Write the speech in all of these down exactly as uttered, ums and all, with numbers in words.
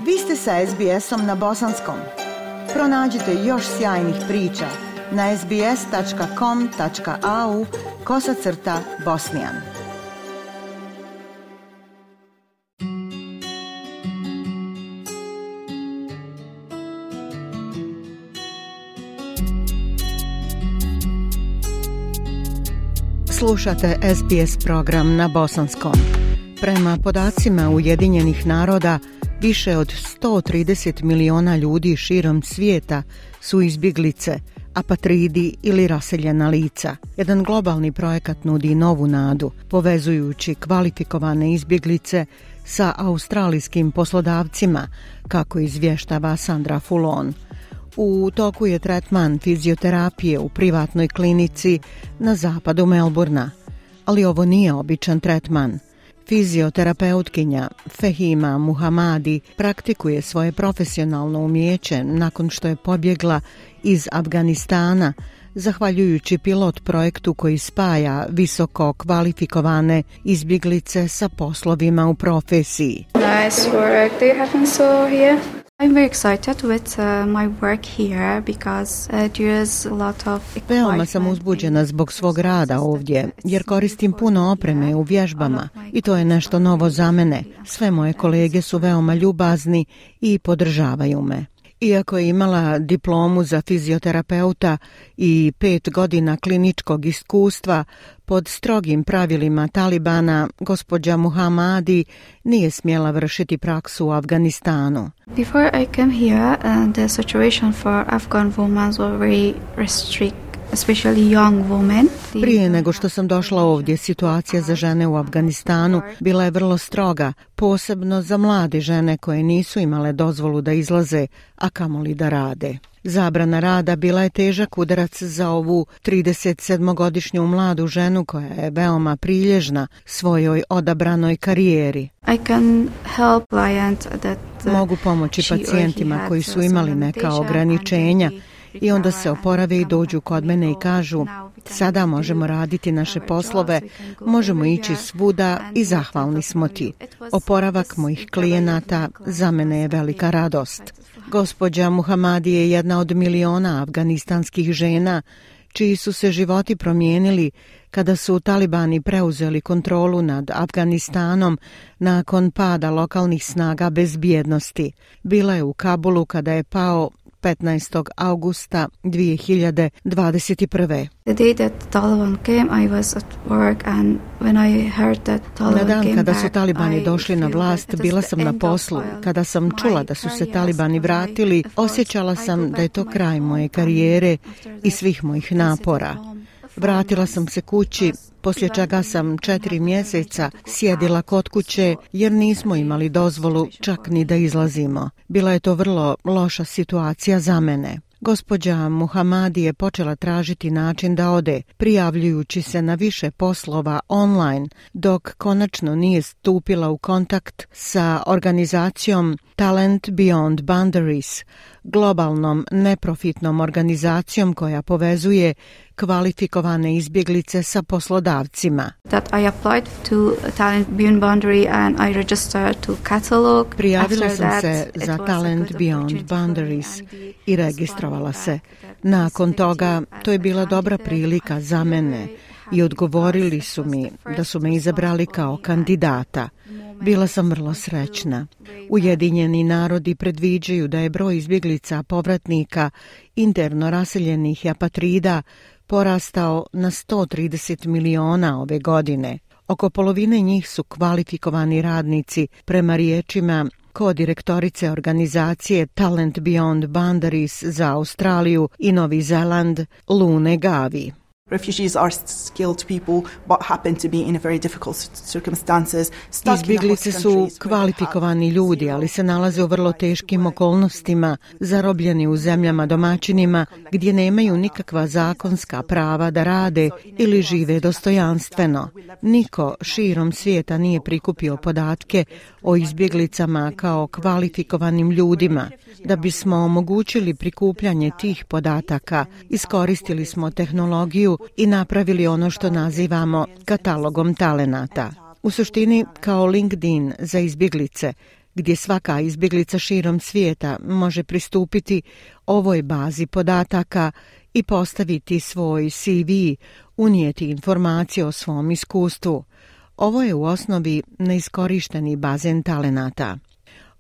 Vi ste sa es bi esom na bosanskom. Pronađite još sjajnih priča na es bi es tačka com tačka a u kosacrta bosnijan. Slušate es bi es program na bosanskom. Prema podacima Ujedinjenih naroda, više od sto trideset miliona ljudi širom svijeta su izbjeglice, apatridi ili raseljena lica. Jedan globalni projekat nudi novu nadu, povezujući kvalifikovane izbjeglice sa australijskim poslodavcima, kako izvještava Sandra Fulon. U toku je tretman fizioterapije u privatnoj klinici na zapadu Melburna, ali ovo nije običan tretman. Fizioterapeutkinja Fehima Muhamadi praktikuje svoje profesionalno umijeće nakon što je pobjegla iz Afganistana, zahvaljujući pilot projektu koji spaja visoko kvalifikovane izbjeglice sa poslovima u profesiji. Nice work. Do you have so here? I'm very excited with uh, my work here because uh, there is a lot of Veoma sam uzbuđena zbog svog rada ovdje, jer koristim puno opreme u vježbama i to je nešto novo za mene. Sve moje kolege su veoma ljubazni i podržavaju me. Iako je imala diplomu za fizioterapeuta i pet godina kliničkog iskustva, pod strogim pravilima Talibana, gospođa Muhamadi nije smjela vršiti praksu u Afganistanu. Before I came here, uh, the situation for Afghan women was very restricted. Especially young women. Prije nego što sam došla ovdje, situacija za žene u Afganistanu bila je vrlo stroga, posebno za mlade žene koje nisu imale dozvolu da izlaze, a kamoli da rade. Zabrana rada bila je težak udarac za ovu tridesetsedmogodišnju mladu ženu koja je veoma prilježna svojoj odabranoj karijeri. I can help client that, uh, Mogu pomoći pacijentima koji su imali neka ograničenja i onda se oporave i dođu kod mene i kažu: sada možemo raditi naše poslove, možemo ići svuda i zahvalni smo ti. Oporavak mojih klijenata za mene je velika radost. Gospođa Muhamadi je jedna od miliona afganistanskih žena čiji su se životi promijenili kada su talibani preuzeli kontrolu nad Afganistanom nakon pada lokalnih snaga bezbjednosti. Bila je u Kabulu kada je pao petnaestog avgusta dvije hiljade dvadeset prve. The day that Taliban came, I was at work and when I heard that Taliban Na dan came kada su back, talibani I došli na feel vlast, that it bila is sam the na end poslu. of Kada sam my čula da su se career, talibani of my vratili, efforts, osjećala I sam go da je back to to my kraj home moje and karijere after i that svih mojih I napora. visited home. Vratila sam se kući, poslije čega sam četiri mjeseca sjedila kod kuće jer nismo imali dozvolu čak ni da izlazimo. Bila je to vrlo loša situacija za mene. Gospođa Muhamadi je počela tražiti način da ode, prijavljujući se na više poslova online, dok konačno nije stupila u kontakt sa organizacijom Talent Beyond Boundaries, globalnom neprofitnom organizacijom koja povezuje kvalifikovane izbjeglice sa poslodavcima. That I applied to Talent Beyond Boundary and I registered to catalog. Prijavila After sam that, se it za was a Talent good Beyond opportunity for me Boundaries and the i registrovala se. feedback that Nakon this toga, city to je as a bila dobra candidate, prilika I za feel mene very i happy odgovorili because su it was mi the da su first me izabrali response for kao me and kandidata. moment Bila sam vrlo I feel srećna. very Ujedinjeni narodi predviđaju da je broj izbjeglica, povratnika, interno raseljenih i apatrida porastao na sto trideset miliona ove godine. Oko polovine njih su kvalifikovani radnici, prema riječima ko-direktorice organizacije Talent Beyond Boundaries za Australiju i Novi Zeland, Lune Gavi. Refugees are skilled people but happen to be in a very difficult circumstances. Izbjeglice su kvalifikovani ljudi, ali se nalaze u vrlo teškim okolnostima, zarobljeni u zemljama domaćinima gdje nemaju nikakva zakonska prava da rade ili žive dostojanstveno. Niko širom svijeta nije prikupio podatke o izbjeglicama kao kvalifikovanim ljudima. Da bismo omogućili prikupljanje tih podataka, iskoristili smo tehnologiju i napravili ono što nazivamo katalogom talenata. U suštini kao LinkedIn za izbjeglice, gdje svaka izbjeglica širom svijeta može pristupiti ovoj bazi podataka i postaviti svoj C V, unijeti informacije o svom iskustvu. Ovo je u osnovi neiskorišteni bazen talenata.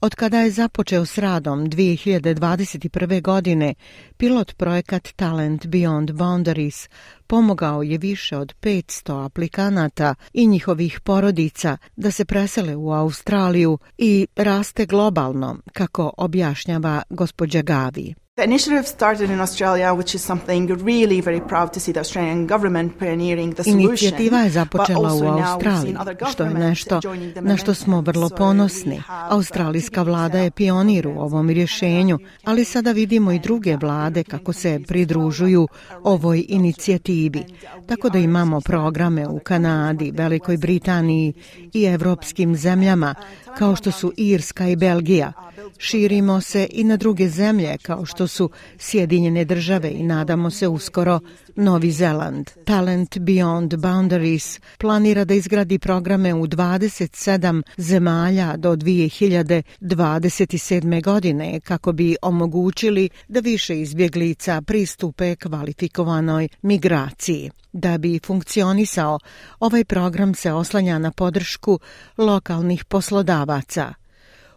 Od kada je započeo s radom dvije hiljade dvadeset prve. godine, pilot projekat Talent Beyond Boundaries pomogao je više od petsto aplikanata i njihovih porodica da se presele u Australiju i raste globalno, kako objašnjava gospođa Gavi. The initiative started in Australia, which is something really very proud to see the Australian government pioneering the solution. Inicijativa je započela u Australiji, što je nešto na što smo vrlo ponosni. Australijska vlada je pionir u ovom rješenju, ali sada vidimo i druge vlade kako se pridružuju ovoj inicijativi. Tako da imamo programe u Kanadi, Velikoj Britaniji i evropskim zemljama, kao što su Irska i Belgija. Širimo se i na druge zemlje kao što su Sjedinjene države i nadamo se uskoro Novi Zeland. Talent Beyond Boundaries planira da izgradi programe u dvadeset sedam zemalja do dvije hiljade dvadeset sedme. godine kako bi omogućili da više izbjeglica pristupe kvalifikovanoj migraciji. Da bi funkcionisao, ovaj program se oslanja na podršku lokalnih poslodavaca.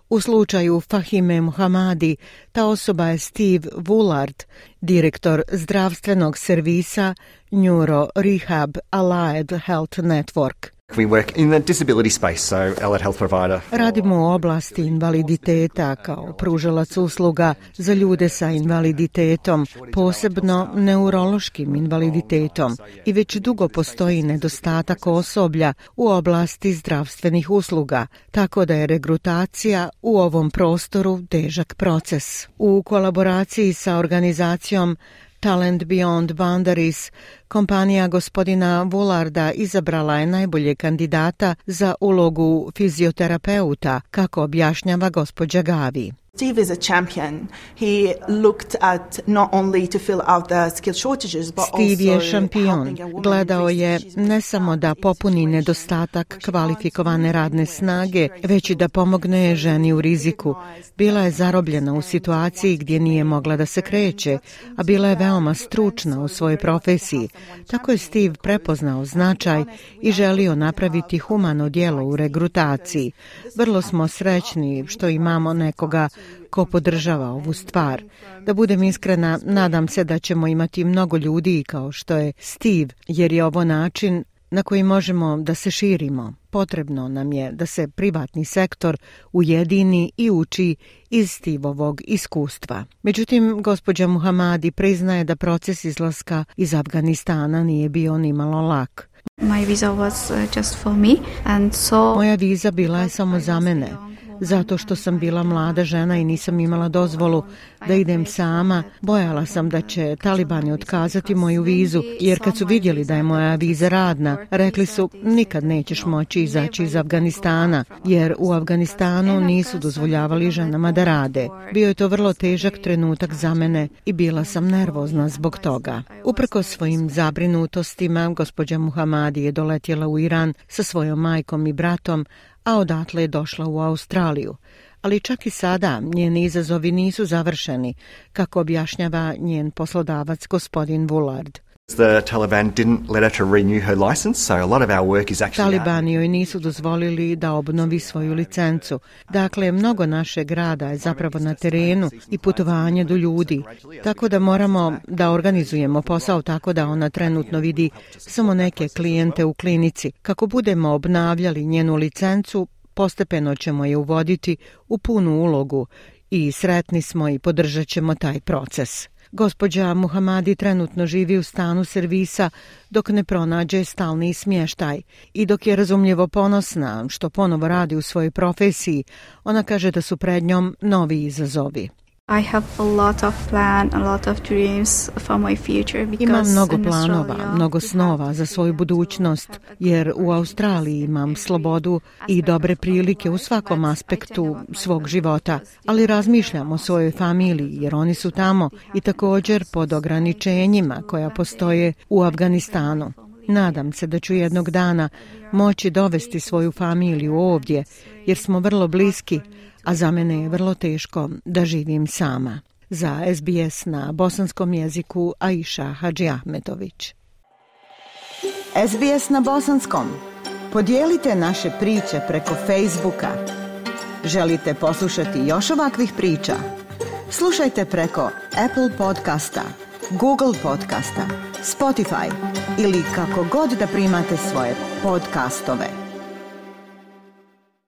U slučaju Fahime Muhamadi, ta osoba je Steve Woolard, direktor zdravstvenog servisa Neuro Rehab Allied Health Network. We work in the disability space, so Allied Health provider. Radimo u oblasti invaliditeta kao pružalac usluga za ljude sa invaliditetom, posebno neurološkim invaliditetom, i već dugo postoji nedostatak osoblja u oblasti zdravstvenih usluga, tako da je regrutacija u ovom prostoru težak proces. U kolaboraciji sa organizacijom Talent Beyond Boundaries, kompanija gospodina Woolarda izabrala je najbolje kandidata za ulogu fizioterapeuta, kako objašnjava gospođa Gavi. Steve is a champion. He looked at not only to fill out the skill shortages, but Steve je also šampion. Gledao je ne samo da popuni nedostatak kvalifikovane radne snage, već i da pomogne ženi u riziku. Bila je zarobljena u situaciji gdje nije mogla da se kreće, a bila je veoma stručna u svojoj profesiji. Tako je Steve prepoznao značaj i želio napraviti humano djelo u regrutaciji. Vrlo smo srećni što imamo nekoga ko podržava ovu stvar. Da budem iskrena, nadam se da ćemo imati mnogo ljudi kao što je Steve, jer je ovo način na koji možemo da se širimo. Potrebno nam je da se privatni sektor ujedini i uči iz Steveovog iskustva. Međutim, gospođa Muhamadi priznaje da proces izlaska iz Afganistana nije bio nimalo lak. My visa was uh, just for me, and so Moja viza bila je samo za mene, zato što sam bila mlada žena i nisam imala dozvolu da idem sama. Bojala sam da će talibani otkazati moju vizu, jer kad su vidjeli da je moja viza radna, rekli su nikad nećeš moći izaći iz Afganistana, jer u Afganistanu nisu dozvoljavali ženama da rade. Bio je to vrlo težak trenutak za mene i bila sam nervozna zbog toga. Uprkos svojim zabrinutostima, gospođa Muhamadi je doletjela u Iran sa svojom majkom i bratom, a odatle je došla u Australiju. Ali čak i sada njeni izazovi nisu završeni, kako objašnjava njen poslodavac gospodin Woolard. The Taliban didn't let her to renew her license, so a lot of our work is actually Talibani joj nisu dozvolili da obnovi svoju licencu. Dakle, mnogo našeg rada je zapravo na terenu i putovanje do ljudi. Tako da moramo da organizujemo posao tako da ona trenutno vidi samo neke klijente u klinici. Kako budemo obnavljali njenu licencu, postepeno ćemo je uvoditi u punu ulogu i sretni smo i podržat ćemo taj proces. Gospođa Muhamadi trenutno živi u stanu servisa dok ne pronađe stalni smještaj i dok je razumljivo ponosna što ponovo radi u svojoj profesiji, ona kaže da su pred njom novi izazovi. I have a lot of plan, a lot of dreams for my future because Imam mnogo in planova, Australia mnogo we snova have za svoju budućnost, jer u Australiji imam slobodu i dobre prilike u svakom aspektu svog života, ali razmišljam o svojoj familiji jer oni su tamo i također pod ograničenjima koja postoje u Afganistanu. Nadam se da ću jednog dana moći dovesti svoju familiju ovdje, jer smo vrlo bliski, a za mene je vrlo teško da živim sama. Za S B S na bosanskom jeziku Aisha Hadžiahmetović. S B S na bosanskom. Podijelite naše priče preko Facebooka. Želite poslušati još ovakvih priča? Slušajte preko Apple podcasta, Google podcasta, Spotify ili kako god da primate svoje podcastove.